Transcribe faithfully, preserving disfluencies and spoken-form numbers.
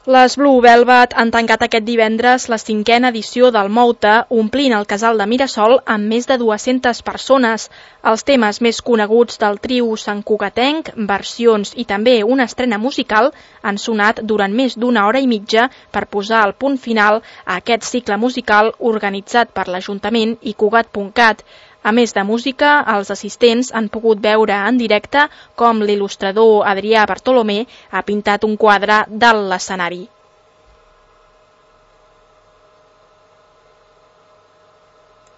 Les Blue Velvet han tancat aquest divendres la cinquena edició del Mouta, omplint el casal de Mirasol amb més de dues-centes persones. Els temes més coneguts del trio santcugatenc, versions i també una estrena musical han sonat durant més d'una hora i mitja per posar el punt final a aquest cicle musical organitzat per l'Ajuntament i Cugat punt cat. A més de música, els assistents han pogut veure en directe com l'il·lustrador Adrià Bartolomé ha pintat un quadre dalt l'escenari.